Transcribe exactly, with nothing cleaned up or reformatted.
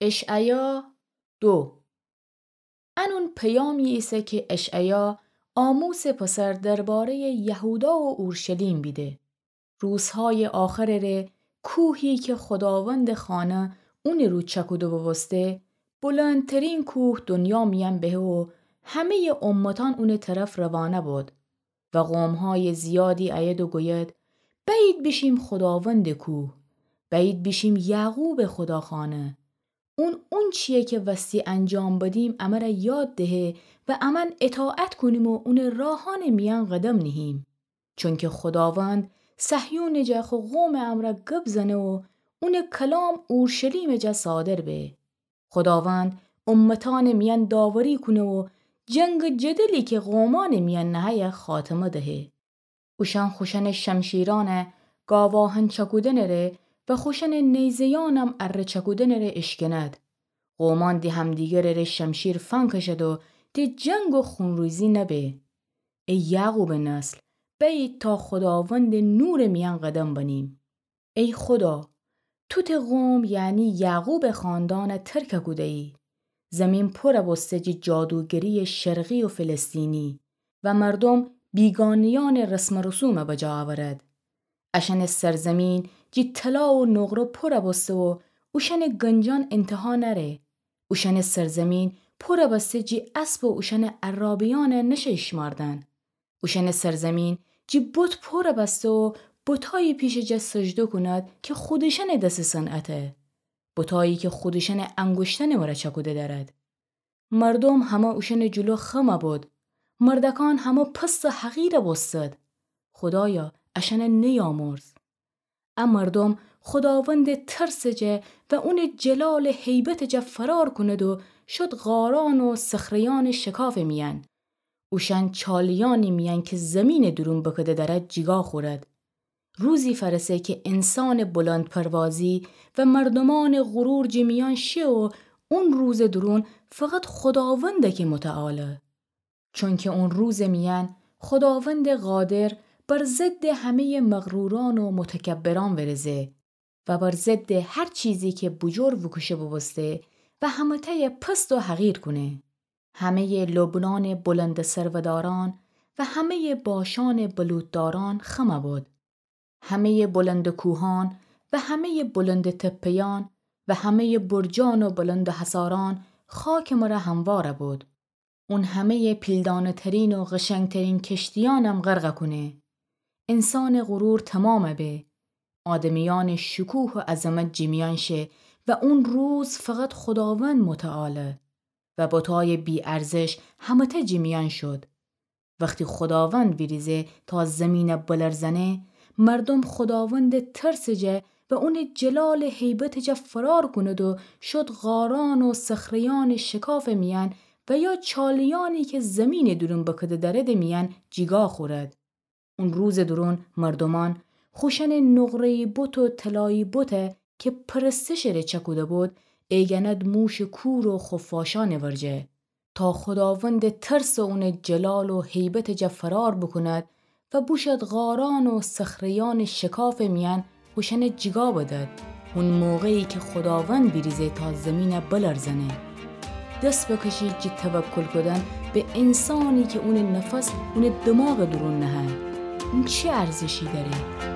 اشعیا دو. انون پیامی ایسه کی اشعیا آموسٚ پسر درباره‌یٚ یهودا و اورشلیم بیده. روزهایٚ آخرٚ ره کوهی کی خوداوندٚ خانه اونٚ رو چکوده بوبوسته، بلندترین کوه دنیا میأن بهه و همه‌یٚ امتأن اونٚ طرف روانه بود. و قومهایٚ زیادی ایید و گوید: بأیید بیشیم خوداوندٚ کوه، بأیید بیشیم یعقوبٚ خوداخانه. اون اونچیی کی وستی انجام بدیم امر یاد دهه و امأن اطاعت کونیم و اونٚ راهأنٚ میأن قدم نهیم. چونکی خوداوند صهیونٚ جا خو قومٚ امرأ گب زنه و اونٚ کلام اورشلیمٚ جا صادر به. خوداوند امتأنٚ میأن داوری کونه و جنگ و جدلی کی قومأنٚ میأن نهه‌یه خاتمه دهه. اوشأن خوشأنٚ شمشیرأن گاواهن چکودنٚ ره و خوشأنٚ نیزه‌یأنم اره چکودنٚ ره اشکند. قومأن د همدیگرٚ ره شمشیر فنکشد و د جنگ و خونریزی نبه. ای یعقوبٚ نسل، بأیید تا خوداوندٚ نورٚ میأن قدم بنیم. ای خودا، تو ته قوم، یعنی یعقوبٚ خاندأن ترک کوده‌یی. زمین پور بوسته جٚه جادوگریٚ شرقی و فلسطینی و مردوم بیگانه‌یأنٚ رسم و رسوم بجا اورد. اشأنٚ سرزمین جٚه طلا و نقره پور بوسته و اوشأنٚ گنجأن انتها نأره. اوشأنٚ سرزمین پور بسته جٚه اسب و اوشأنٚ عرابه‌یأن نشه ایشمأردن. اوشأنٚ سرزمین جٚه بت پور بسته و بتأیی پیشٚ جا سجده کونید کی خودشأنٚ دسٚ صنعته، بتأیی کی خودشأنٚ انگشتأنٚ وره چکوده دأرید. مردوم همه اوشأنٚ جلو خم بود، مردکأن همه پست و حقیر بوستد. خودایا، اشأن نیامرز. ا مردوم خوداوندٚ ترسٚ جا و اونٚ جلالٚ هیبتٚ جا فرار کونید و شد غارأن و صخره‌یأنٚ شکافٚ میأن. اوشأن چالیأنی میأن کی زمینٚ دورون بکده دأرد جیگا خورد. روزی فأرسه کی انسانٚ بلندپروازی و مردومأنٚ غرور جٚه میأن شه و اون روزٚ دورون فقط خوداوند کی متعاله. چونکی اون روزٚ میأن خوداوندٚ قادر بر ضدٚ همه‌یٚ مغرورأن و متکبرأن ورزه و بر ضدٚ هر چیزی کی بجور وکوشه بوبوسته و همه‌تأی پست و حقیر کونه. همه‌یٚ لبنانٚ بلندٚ سرودارأن و همه‌یٚ باشانٚ بلوطدارأن خم بود. همه‌یٚ بلندٚ کوهأن و همه‌یٚ بلندٚ تپه‌یأن و همه‌یٚ برجأن و بلندٚ حصارأن خاکٚ مره هموار بود. اون همه‌یٚ پیلدانه‌ترین و قشنگترین کشتیأنم غرق کونه. انسانٚ غرور تومام به. آدمیأنٚ شکوه و عظمت جٚه میأن شه و اون روز فقط خوداوند متعاله و بتأیٚ بی‌ارزش همه‌تأ جٚه میأن شد. وختی خوداوند ویریزه تا زمین بلرزأنه، مردوم خوداوندٚ ترسٚ جا و اونٚ جلالٚ هیبتٚ جا فرار کونید و شد غارأن و صخره‌یأنٚ شکافٚ میأن و یا چالیأنی کی زمینٚ دورون بکده دأردٚ میأن جیگا خورد. اون روزٚ دورون مردومأن خوشأنٚ نقره‌یی بت و طلایی بت کی پرستشٚ ره چأکوده بود، ایگند موشٚ کور و خفاشأنٚ ورجه، تا خوداوندٚ ترس و اونٚ جلال و هیبتٚ جا فرار بوکوند و بوشود غارأن و صخره‌یأنٚ شکافٚ میأن اوشأن جیگا بدد. اون موقعی کی خوداوند ویریزه تا زمین بلرزأنه. دس بکشید جٚه توکل کودن به انسانی کی اونٚ نفس اونٚ دماغٚ دورون نهه. اون چی ارزشی دأره؟